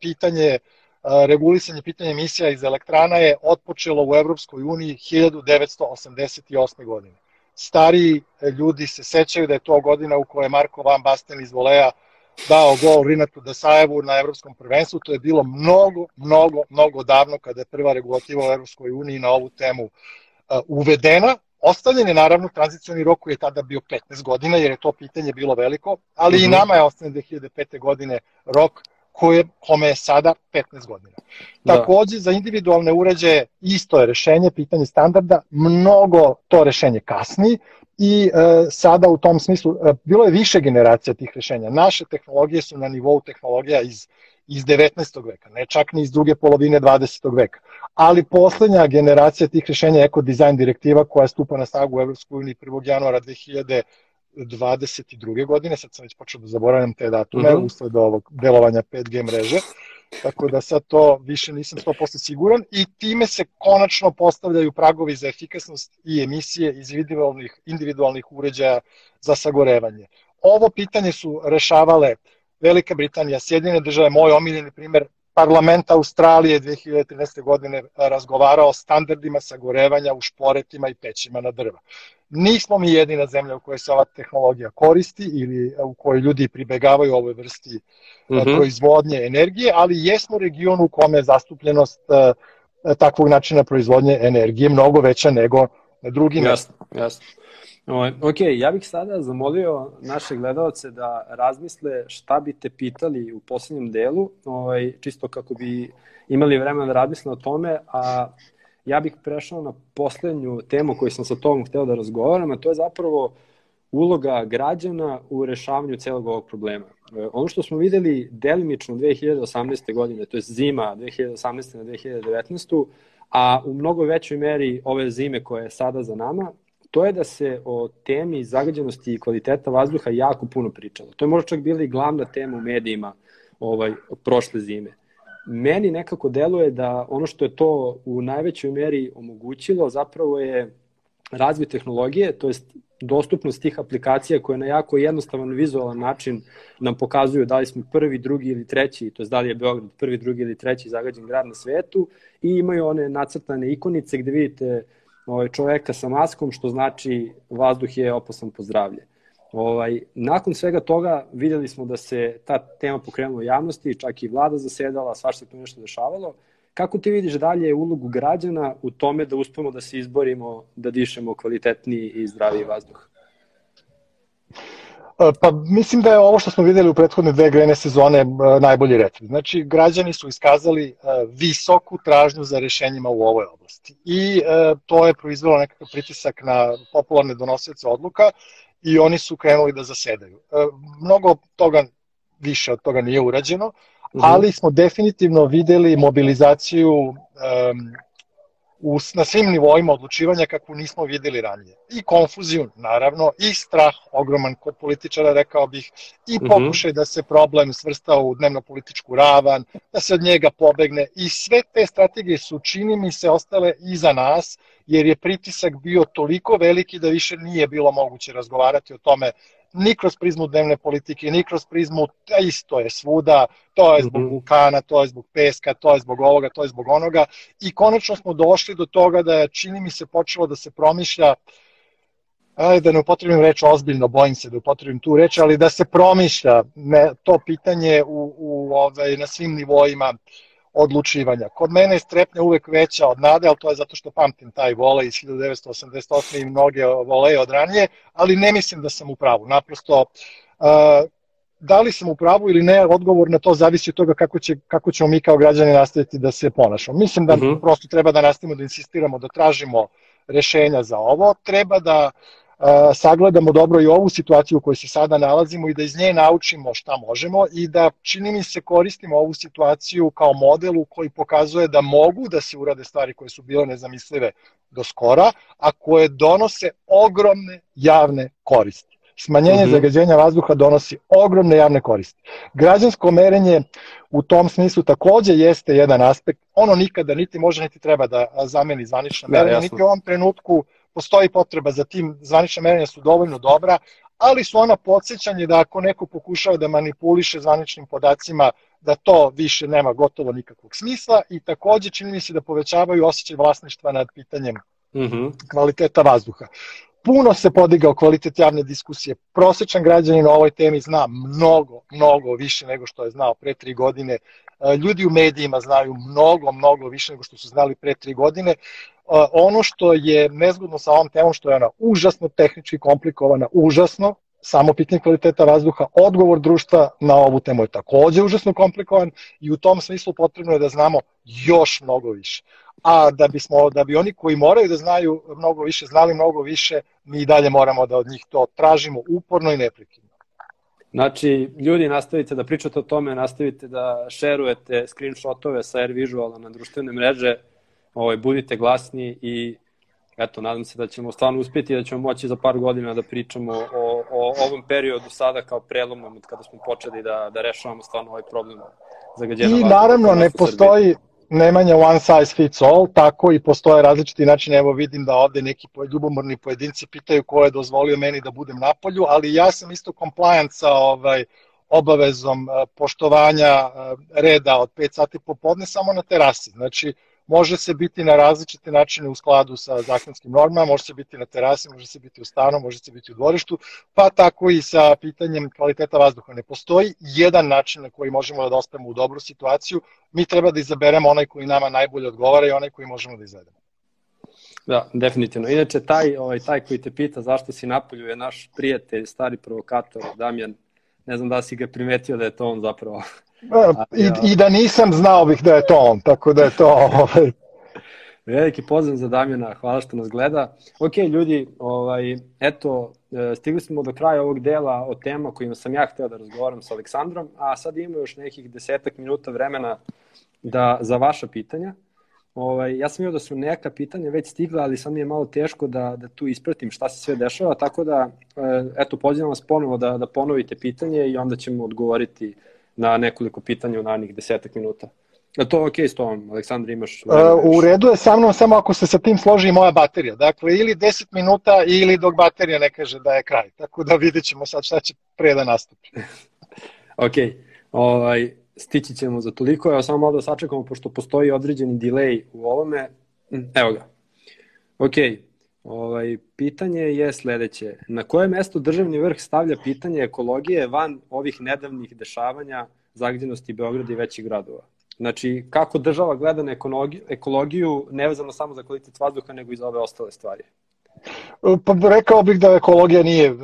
Speaker 3: regulisanje pitanja emisija iz elektrana je otpočelo u Evropskoj uniji 1988. godine. Stariji ljudi se sećaju da je to godina u kojoj je Marko Van Basten iz volea dao gol Rinatu Dasajevu na evropskom prvenstvu. To je bilo mnogo davno kada je prva regulativa u Evropskoj uniji na ovu temu uvedena. Ostavljen je naravno tranzicioni rok koji je tada bio 15 godina jer je to pitanje bilo veliko, ali i nama je ostavljen 2005. godine rok kome je sada 15 godina. Takođe, za individualne uređaje isto je rešenje, pitanje standarda, mnogo to rešenje kasni i sada u tom smislu, bilo je više generacija tih rešenja. Naše tehnologije su na nivou tehnologija iz 19. veka, ne čak ni iz druge polovine 20. veka. Ali poslednja generacija tih rešenja je Eco-Design direktiva koja stupa na snagu u EU 1. januara 2022. godine, sad sam već počeo da zaboravljam te datume, usled ovog delovanja 5G mreže, tako da sad to više nisam 100% siguran i time se konačno postavljaju pragovi za efikasnost i emisije iz individualnih uređaja za sagorevanje. Ovo pitanje su rešavale Velika Britanija, Sjedinjene države, moj omiljeni primer, Parlament Australije 2013. godine razgovarao o standardima sagorevanja u šporetima i pećima na drva. Nismo mi jedina zemlja u kojoj se ova tehnologija koristi ili u kojoj ljudi pribegavaju ovoj vrsti proizvodnje energije, ali jesmo region u kome je zastupljenost takvog načina proizvodnje energije mnogo veća nego na drugim mestima.
Speaker 2: Jasno. Ok, ja bih sada zamolio naše gledalce da razmisle šta bi te pitali u poslednjem delu, čisto kako bi imali vremena da razmisle o tome, a ja bih prešao na poslednju temu koju sam sa tobom hteo da razgovaram, a to je zapravo uloga građana u rešavanju celog ovog problema. Ono što smo videli delimično 2018. godine, to je zima 2018. na 2019. a u mnogo većoj meri ove zime koja je sada za nama, to je da se o temi zagađenosti i kvaliteta vazduha jako puno pričalo. To je možda čak bila i glavna tema u medijima prošle zime. Meni nekako deluje da ono što je to u najvećoj meri omogućilo zapravo je razvoj tehnologije, to jest dostupnost tih aplikacija koje na jako jednostavan vizualan način nam pokazuju da li smo prvi, drugi ili treći, to jest da li je Beograd prvi, drugi ili treći zagađen grad na svetu i imaju one nacrtane ikonice gde vidite čoveka sa maskom, što znači vazduh je opasan po zdravlje. Nakon svega toga videli smo da se ta tema pokrenula u javnosti, čak i vlada zasedala, svašta tu nešto dešavalo. Kako ti vidiš dalje ulogu građana u tome da uspemo da se izborimo, da dišemo kvalitetniji i zdraviji vazduh?
Speaker 3: Pa mislim da je ovo što smo videli u prethodne dve grejne sezone najbolji recept. Znači, građani su iskazali visoku tražnju za rešenjima u ovoj oblasti i to je proizvelo nekakav pritisak na popularne donosioce odluka i oni su krenuli da zasedaju. Mnogo toga, više od toga nije urađeno, ali smo definitivno videli mobilizaciju na svim nivoima odlučivanja kakvu nismo videli ranije. I konfuziju, naravno, i strah ogroman kod političara, rekao bih, i pokušaj da se problem svrsta u dnevno-političku ravan, da se od njega pobegne. I sve te strategije su, čini mi se, ostale iza nas, jer je pritisak bio toliko veliki da više nije bilo moguće razgovarati o tome ni kroz prizmu dnevne politike, ni kroz prizmu, isto je svuda, to je zbog vulkana, to je zbog peska, to je zbog ovoga, to je zbog onoga. I konačno smo došli do toga da je, čini mi se, počelo da se promišlja, da ne upotrebim reč ozbiljno, bojim se da upotrebim tu reč, ali da se promišlja to pitanje na svim nivoima odlučivanja. Kod mene je strepnja uvek veća od nade, ali to je zato što pamtim taj volej iz 1988. i mnoge voleje od ranije, ali ne mislim da sam u pravu. Naprosto, da li sam u pravu ili ne, odgovor na to zavisi od toga kako ćemo mi kao građani nastaviti da se ponašamo. Mislim da prosto treba da nastavimo da insistiramo, da tražimo rešenja za ovo, treba da sagledamo dobro i ovu situaciju u kojoj se sada nalazimo i da iz nje naučimo šta možemo i da, čini mi se, koristimo ovu situaciju kao model u koji pokazuje da mogu da se urade stvari koje su bile nezamislive do skora, a koje donose ogromne javne koristi. Smanjenje zagađenja vazduha donosi ogromne javne koristi. Građansko merenje u tom smislu takođe jeste jedan aspekt. Ono nikada niti može niti treba da zameni zvanično merenje, niti u ovom trenutku postoji potreba za tim. Zvanična merenja su dovoljno dobra, ali su ona podsjećanje da ako neko pokušava da manipuliše zvaničnim podacima, da to više nema gotovo nikakvog smisla i takođe čini mi se da povećavaju osjećaj vlasništva nad pitanjem kvaliteta vazduha. Puno se podigao kvalitet javne diskusije. Prosečan građanin o ovoj temi zna mnogo više nego što je znao pre 3 godine. Ljudi u medijima znaju mnogo više nego što su znali pre 3 godine. Ono što je nezgodno sa ovom temom, što je ona užasno tehnički komplikovana, užasno, samo pitanje kvaliteta vazduha, odgovor društva na ovu temu je takođe užasno komplikovan i u tom smislu potrebno je da znamo još mnogo više. A da bi oni koji moraju da znaju mnogo više, znali mnogo više, mi i dalje moramo da od njih to tražimo uporno i neprekidno.
Speaker 2: Znači, ljudi, nastavite da pričate o tome, nastavite da šerujete screenshotove sa AirVisuala na društvene mreže, budite glasni i eto, nadam se da ćemo stvarno uspjeti i da ćemo moći za par godina da pričamo o ovom periodu sada kao prelomnom od kada smo počeli da rešavamo stvarno ovaj problem zagađenja vazduha.
Speaker 3: I naravno ne postoji nemanja one size fits all, tako i postoje različiti načini. Evo vidim da ovde neki ljubomorni pojedinci pitaju ko je dozvolio meni da budem napolju, ali ja sam isto compliant sa obavezom poštovanja reda od 5 sati popodne samo na terasi. Znači, može se biti na različite načine u skladu sa zakonskim normama, može se biti na terasi, može se biti u stanu, može se biti u dvorištu, pa tako i sa pitanjem kvaliteta vazduha. Ne postoji jedan način na koji možemo da dospemo u dobru situaciju, mi treba da izaberemo onaj koji nama najbolje odgovara i onaj koji možemo da izvedemo.
Speaker 2: Da, definitivno. Inače, taj koji te pita zašto si napolju je naš prijatelj, stari provokator, Damjan. Ne znam da si ga primetio da je to on zapravo.
Speaker 3: I da nisam, znao bih da je to on, tako da je to...
Speaker 2: Veliki pozdrav za Damjana, hvala što nas gleda. Ok, ljudi, eto, stigli smo do kraja ovog dela o tema kojima sam ja hteo da razgovaram sa Aleksandrom, a sad imamo još nekih 10 minuta vremena za vaša pitanja. Ja sam vidio da su neka pitanja već stigla, ali sad mi je malo teško da tu ispratim šta se sve dešava, tako da, eto, pozivam vas ponovo da ponovite pitanje i onda ćemo odgovoriti na nekoliko pitanja u narednih 10 minuta. Je to ok s tom, Aleksandar, imaš...
Speaker 3: U redu je sa mnom, samo ako se sa tim složi i moja baterija. Dakle, ili 10 minuta ili dok baterija ne kaže da je kraj. Tako da vidjet ćemo sad šta će pre da nastupi.
Speaker 2: Ok, stići ćemo za toliko. Evo samo malo da sačekamo, pošto postoji određeni delay u ovome. Evo ga. Ok, pitanje je sledeće. Na koje mesto državni vrh stavlja pitanje ekologije van ovih nedavnih dešavanja zagađenosti Beograda i većih gradova? Znači, kako država gleda na ekologiju, nevezano samo za kvalitet vazduha, nego i za ove ostale stvari?
Speaker 3: Pa rekao bih da ekologija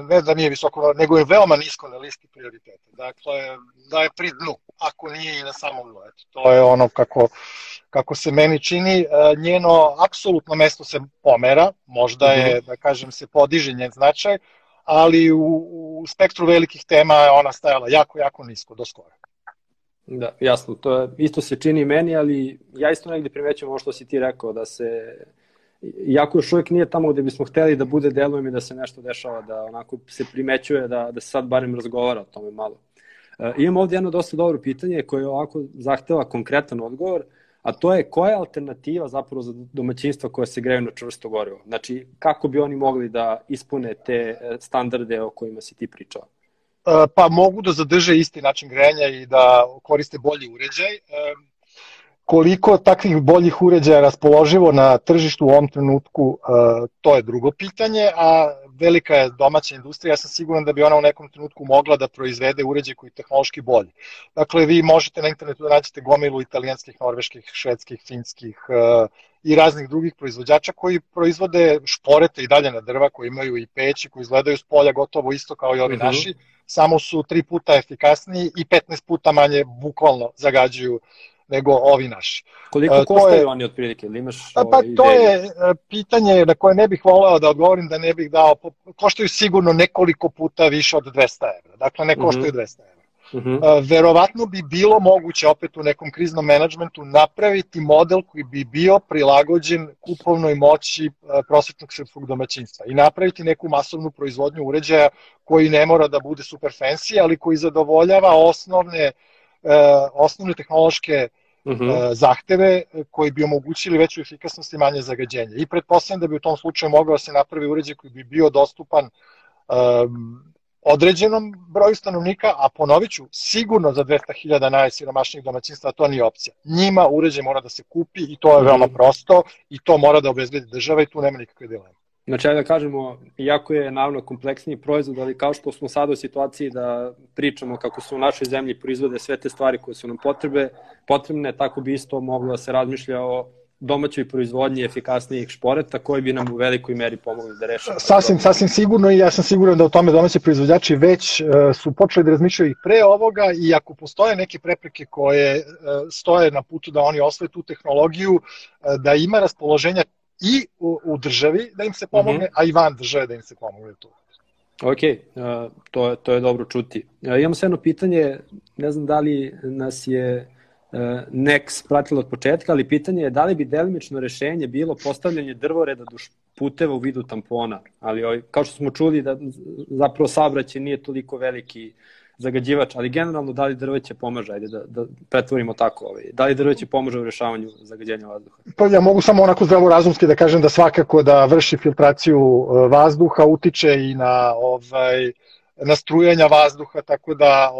Speaker 3: ne da nije visoko, nego je veoma nisko na listi prioriteta. Dakle, da je pri dnu, ako nije i na samom dnu. To je ono kako se meni čini. Njeno apsolutno mesto se pomera, možda je, da kažem, se podiže njen značaj, ali u spektru velikih tema je ona stajala jako nisko, do skora.
Speaker 2: Da, jasno, to isto se čini meni, ali ja isto negdje primećujem ovo što si ti rekao, da se, iako još uvijek nije tamo gde bismo hteli da bude, delujem i da se nešto dešava, da onako se primećuje da se sad barem razgovara o tome malo. Imam ovdje jedno dosta dobro pitanje koje ovako zahteva konkretan odgovor, a to je koja je alternativa zapravo za domaćinstva koja se greju na čvrsto gorivo? Znači, kako bi oni mogli da ispune te standarde o kojima si ti pričao?
Speaker 3: Pa mogu da zadrže isti način grejanja i da koriste bolji uređaj. Koliko takvih boljih uređaja je raspoloživo na tržištu u ovom trenutku, to je drugo pitanje, a velika je domaća industrija, ja sam siguran da bi ona u nekom trenutku mogla da proizvede uređaj koji je tehnološki bolji. Dakle, vi možete na internetu da nađete gomilu italijanskih, norveških, švedskih, finskih i raznih drugih proizvođača koji proizvode šporete i dalje na drva, koji imaju i peći, koji izgledaju s polja gotovo isto kao i ovi naši, samo su 3 puta efikasniji i 15 puta manje bukvalno zagađuju nego ovi naši.
Speaker 2: Koliko koštaju oni otprilike? Ili imaš
Speaker 3: to je pitanje na koje ne bih voleo da odgovorim, da ne bih dao, koštaju sigurno nekoliko puta više od 200 evra, dakle ne koštaju 200 evra. Verovatno bi bilo moguće opet u nekom kriznom menadžmentu napraviti model koji bi bio prilagođen kupovnoj moći prosječnog srpskog domaćinstva i napraviti neku masovnu proizvodnju uređaja koji ne mora da bude super fancy, ali koji zadovoljava osnovne tehnološke zahteve koji bi omogućili veću efikasnost i manje zagađenje. I pretpostavljam da bi u tom slučaju mogao se napravi uređaj koji bi bio dostupan određenom broju stanovnika, a ponovit ću, sigurno za 200.000 najsiromašnijih domaćinstva to nije opcija. Njima uređaj mora da se kupi i to je veoma prosto i to mora da obezbedi država i tu nema nikakve dileme.
Speaker 2: Znači, da kažemo, iako je naravno kompleksniji proizvod, ali kao što smo sada u situaciji da pričamo kako se u našoj zemlji proizvode sve te stvari koje su nam potrebne, tako bi isto moglo da se razmišlja o domaćoj proizvodnji efikasnijih šporeta koji bi nam u velikoj meri pomogli da rešimo.
Speaker 3: Sasvim sigurno i ja sam siguran da u tome domaći proizvođači već su počeli da razmišljaju i pre ovoga i ako postoje neke prepreke koje stoje na putu da oni osvoje tu tehnologiju, da ima raspoloženja i u državi da im se pomogne, a i van države da im se pomogne tu.
Speaker 2: Ok, to je dobro čuti. Imamo se jedno pitanje, ne znam da li nas je Nex pratilo od početka, ali pitanje je da li bi delimično rešenje bilo postavljanje drvoreda duž puteva u vidu tampona, ali kao što smo čuli da zapravo saobraćaj nije toliko veliki zagađivač, ali generalno da li drveće pomaže, ajde da pretvorimo tako, da li drveće pomaže u rešavanju zagađenja vazduha?
Speaker 3: Pa ja mogu samo onako zdravorazumski da kažem da svakako da vrši filtraciju vazduha, utiče i na strujanja vazduha, tako da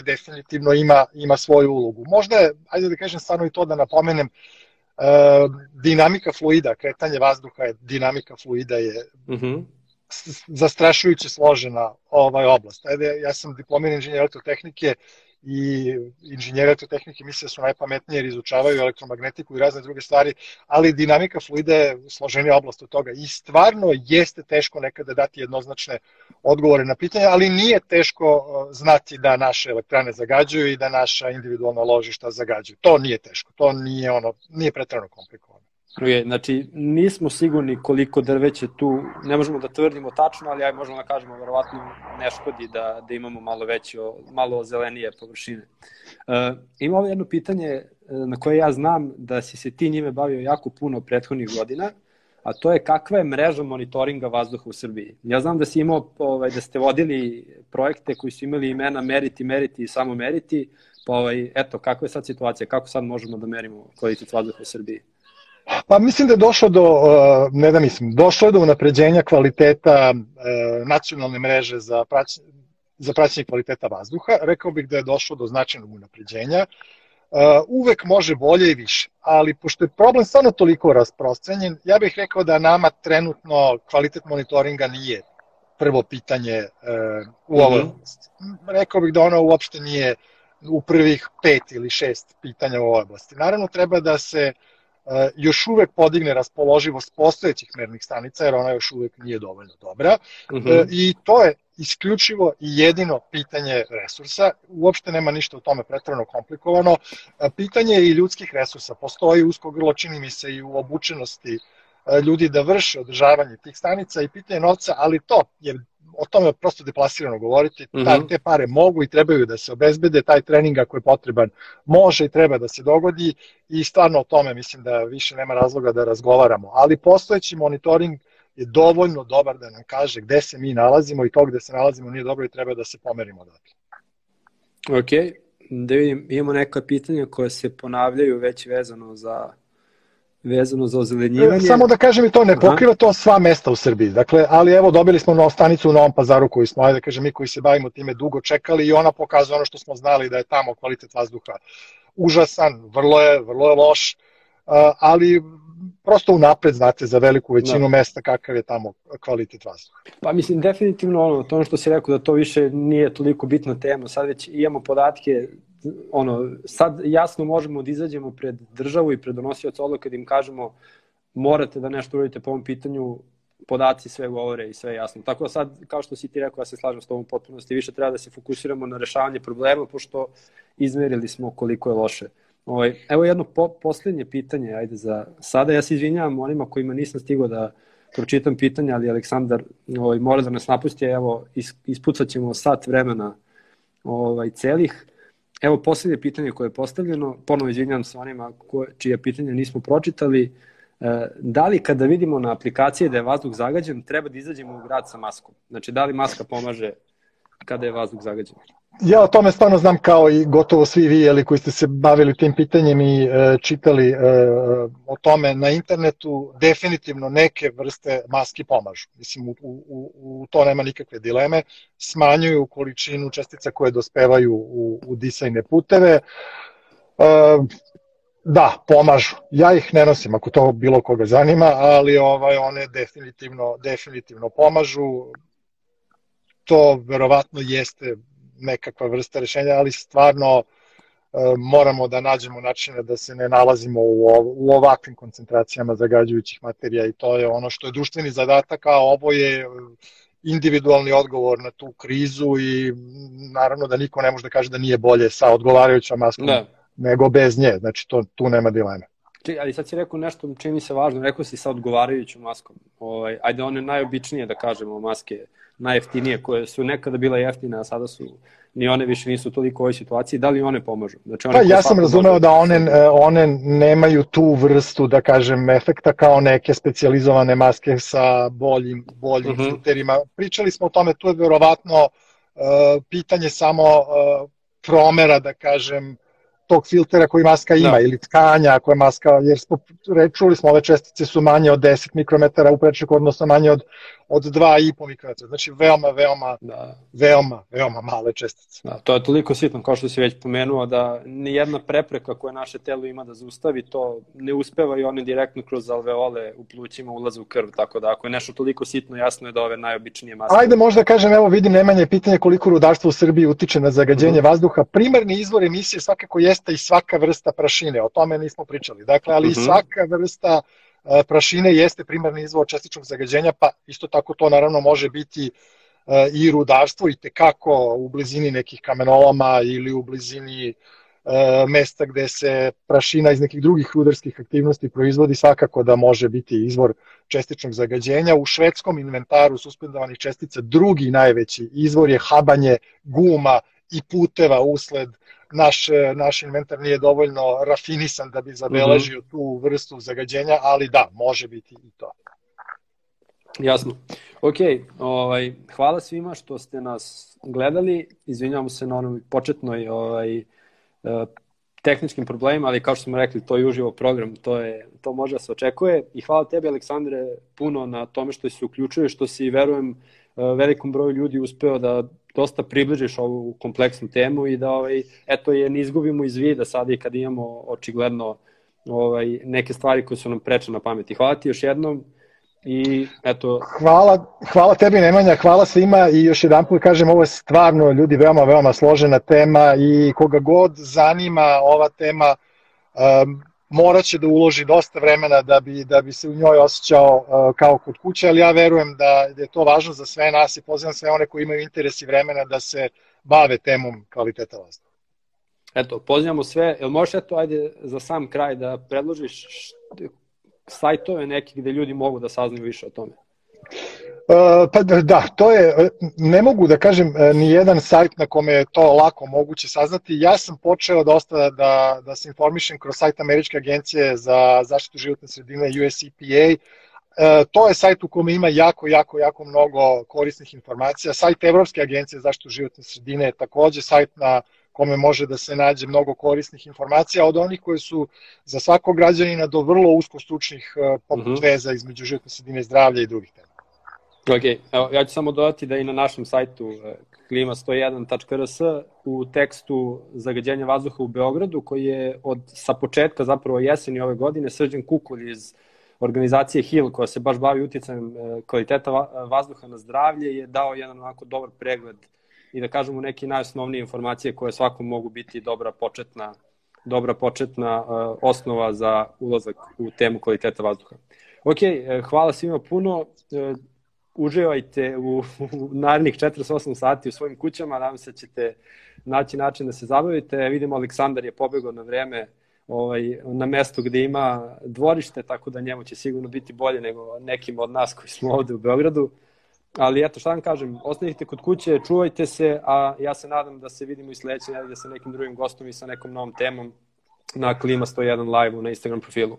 Speaker 3: definitivno ima svoju ulogu. Možda je, ajde da kažem stvarno i to da napomenem, dinamika fluida, kretanje vazduha je, dinamika fluida je zastrašujuće složena oblast. Ja sam diplomirani inženjer elektrotehnike i inženjeri elektrotehnike misle da su najpametniji jer izučavaju elektromagnetiku i razne druge stvari, ali dinamika fluida je složenija oblast od toga i stvarno jeste teško nekada dati jednoznačne odgovore na pitanje, ali nije teško znati da naše elektrane zagađuju i da naša individualna ložišta zagađuju. To nije teško, to nije preterano komplikovano.
Speaker 2: Znači, nismo sigurni koliko drveće tu, ne možemo da tvrdimo tačno, ali možemo da kažemo verovatno ne škodi da imamo malo zelenije površine. Ima ovo jedno pitanje na koje ja znam da si se ti njime bavio jako puno prethodnih godina, a to je kakva je mreža monitoringa vazduha u Srbiji. Ja znam da si imao, da ste vodili projekte koji su imali imena meriti i samo meriti, pa eto, kakva je sad situacija, kako sad možemo da merimo kvalitet vazduha u Srbiji?
Speaker 3: Pa mislim da je došlo je do unapređenja kvaliteta nacionalne mreže za praćenje kvaliteta vazduha. Rekao bih da je došlo do značajnog unapređenja. Uvek može bolje i više, ali pošto je problem stvarno toliko rasprostranjen, ja bih rekao da nama trenutno kvalitet monitoringa nije prvo pitanje u ovoj oblasti. Rekao bih da ono uopšte nije u prvih 5 ili 6 pitanja u ovoj oblasti. Naravno, treba da se još uvek podigne raspoloživost postojećih mernih stanica, jer ona još uvek nije dovoljno dobra. I to je isključivo i jedino pitanje resursa. Uopšte nema ništa u tome preterano komplikovano. Pitanje je i ljudskih resursa. Postoji usko grlo, čini mi se, i u obučenosti ljudi da vrše održavanje tih stanica i pitanje novca, ali to je o tome je prosto deplasirano govoriti, te pare mogu i trebaju da se obezbede, taj trening ako je potreban može i treba da se dogodi i stvarno o tome mislim da više nema razloga da razgovaramo, ali postojeći monitoring je dovoljno dobar da nam kaže gde se mi nalazimo i to gde se nalazimo nije dobro i treba da se pomerimo odatle.
Speaker 2: Ok, da vidim, imamo neka pitanja koja se ponavljaju već vezano za ozelenjivanje.
Speaker 3: Samo da kažem i to, ne pokriva to sva mesta u Srbiji. Dakle, ali evo, dobili smo stanicu u Novom Pazaru koju smo, da kažem, mi koji se bavimo time dugo čekali i ona pokazuje ono što smo znali da je tamo kvalitet vazduha užasan, vrlo je loš, ali prosto unapred znate za veliku većinu mesta kakav je tamo kvalitet vazduha.
Speaker 2: Pa mislim, definitivno to što si rekao da to više nije toliko bitna tema, sad već imamo podatke, sad jasno možemo da izađemo pred državu i pred donosioca odluka da im kažemo morate da nešto uradite po ovom pitanju, podaci sve govore i sve jasno. Tako da sad, kao što si ti rekao, ja se slažem s tobom potpunosti, više treba da se fokusiramo na rešavanje problema, pošto izmerili smo koliko je loše. Evo jedno posljednje pitanje, ajde za sada. Ja se izvinjavam onima kojima nisam stigao da pročitam pitanja, ali Aleksandar mora da nas napusti. Evo, ispucat ćemo sat vremena celih. Evo posljednje pitanje koje je postavljeno. Ponovo izvinjavam se onima čije pitanja nismo pročitali. Da li kada vidimo na aplikaciji da je vazduh zagađen, treba da izađemo u grad sa maskom? Znači, da li maska pomaže kada je vazduh zagađen?
Speaker 3: Ja o tome stvarno znam kao i gotovo svi vi koji ste se bavili tim pitanjem i čitali o tome na internetu. Definitivno neke vrste maski pomažu. Mislim, u to nema nikakve dileme. Smanjuju količinu čestica koje dospevaju u disajne puteve. Da, pomažu. Ja ih ne nosim ako to bilo koga zanima, ali one definitivno pomažu. To verovatno jeste nekakva vrsta rešenja, ali stvarno moramo da nađemo načine da se ne nalazimo u ovakvim koncentracijama zagađujućih materija i to je ono što je društveni zadatak, a ovo je individualni odgovor na tu krizu i naravno da niko ne može da kaže da nije bolje sa odgovarajućom maskom nego bez nje, znači tu nema dileme.
Speaker 2: Ali sad si rekao nešto čini mi se važno, rekao si sa odgovarajućom maskom. Ajde, one najobičnije da kažemo maske, najjeftinije, koje su nekada bile jeftine, a sada su, ni one više nisu toliko u ovoj situaciji, da li one pomažu? Znači,
Speaker 3: ja sam razumeo da one nemaju tu vrstu, da kažem, efekta kao neke specijalizovane maske sa boljim filterima. Pričali smo o tome, tu je verovatno pitanje samo promera, da kažem, tog filtera koji maska ima ili tkanja koje maska, jer čuli smo ove čestice su manje od 10 mikrometara u prečniku, odnosno manje od 2,5 mikrometara. Znači veoma male čestice.
Speaker 2: Da, to je toliko sitno, kao što si već pomenuo, da nijedna prepreka koja naše telo ima da zaustavi, to ne uspeva i one direktno kroz alveole u plućima ulaze u krv, tako da ako je nešto toliko sitno, jasno je da ove najobičnije maske.
Speaker 3: Ajde možda kažem, evo vidim Nemanja pitanje koliko rudarstvo u Srbiji utiče na zagađenje vazduha. Primarni izvor emisije svakako jeste i svaka vrsta prašine, o tome nismo pričali. Dakle, ali svaka vrsta prašine jeste primarni izvor čestičnog zagađenja, pa isto tako to naravno može biti i rudarstvo i tekako u blizini nekih kamenoloma ili u blizini mesta gde se prašina iz nekih drugih rudarskih aktivnosti proizvodi, svakako da može biti izvor čestičnog zagađenja. U švedskom inventaru suspendovanih čestica drugi najveći izvor je habanje guma i puteva usled naš inventar nije dovoljno rafinisan da bi zabeležio tu vrstu zagađenja, ali da, može biti i to.
Speaker 2: Jasno. Ok, hvala svima što ste nas gledali. Izvinjamo se na onom početnoj tehničkim problemima, ali kao što smo rekli, to je uživo program, to može da se očekuje. I hvala tebi, Aleksandre, puno na tome što si uključio, što si, verujem, velikom broju ljudi uspeo da dosta približiš ovu kompleksnu temu i da je ne izgubimo iz vida sada i kad imamo očigledno neke stvari koje su nam preče na pameti. Hvala ti još jednom i eto... Hvala tebi, Nemanja, hvala svima i još jedan put kažem, ovo je stvarno, ljudi, veoma složena tema i koga god zanima ova tema, morat će da uloži dosta vremena da bi se u njoj osjećao kao kod kuće, ali ja verujem da je to važno za sve nas i pozivam sve one koji imaju interes i vremena da se bave temom kvaliteta vazduha. Eto, pozivamo sve. Jel možeš ajde za sam kraj da predložiš sajtove neki gde ljudi mogu da saznaju više o tome? Pa da, to je, ne mogu da kažem ni jedan sajt na kome je to lako moguće saznati. Ja sam počeo dosta da se informišem kroz sajt Američke agencije za zaštitu životne sredine US EPA. To je sajt u kome ima jako mnogo korisnih informacija. Sajt Evropske agencije za zaštitu životne sredine je takođe sajt na kome može da se nađe mnogo korisnih informacija, od onih koje su za svakog građanina do vrlo uskostručnih poput veza između životne sredine, zdravlja i drugih tema. Ok, evo, ja ću samo dodati da i na našem sajtu klima101.rs u tekstu zagađenja vazduha u Beogradu, koji je sa početka zapravo jeseni ove godine, Srđan Kukulj iz organizacije HIL, koja se baš bavi uticajem kvaliteta vazduha na zdravlje, je dao jedan onako dobar pregled i da kažemo neke najosnovnije informacije koje svakom mogu biti dobra početna osnova za ulazak u temu kvaliteta vazduha. Ok, hvala svima puno. Uživajte u narednih 48 sati u svojim kućama, nadam se da ćete naći način da se zabavite. Vidimo, Aleksandar je pobegao na vreme na mestu gde ima dvorište, tako da njemu će sigurno biti bolje nego nekim od nas koji smo ovde u Beogradu. Ali eto, šta vam kažem, ostanite kod kuće, čuvajte se, a ja se nadam da se vidimo i sledeće nedelje sa nekim drugim gostom i sa nekom novom temom na Klima 101 live na Instagram profilu.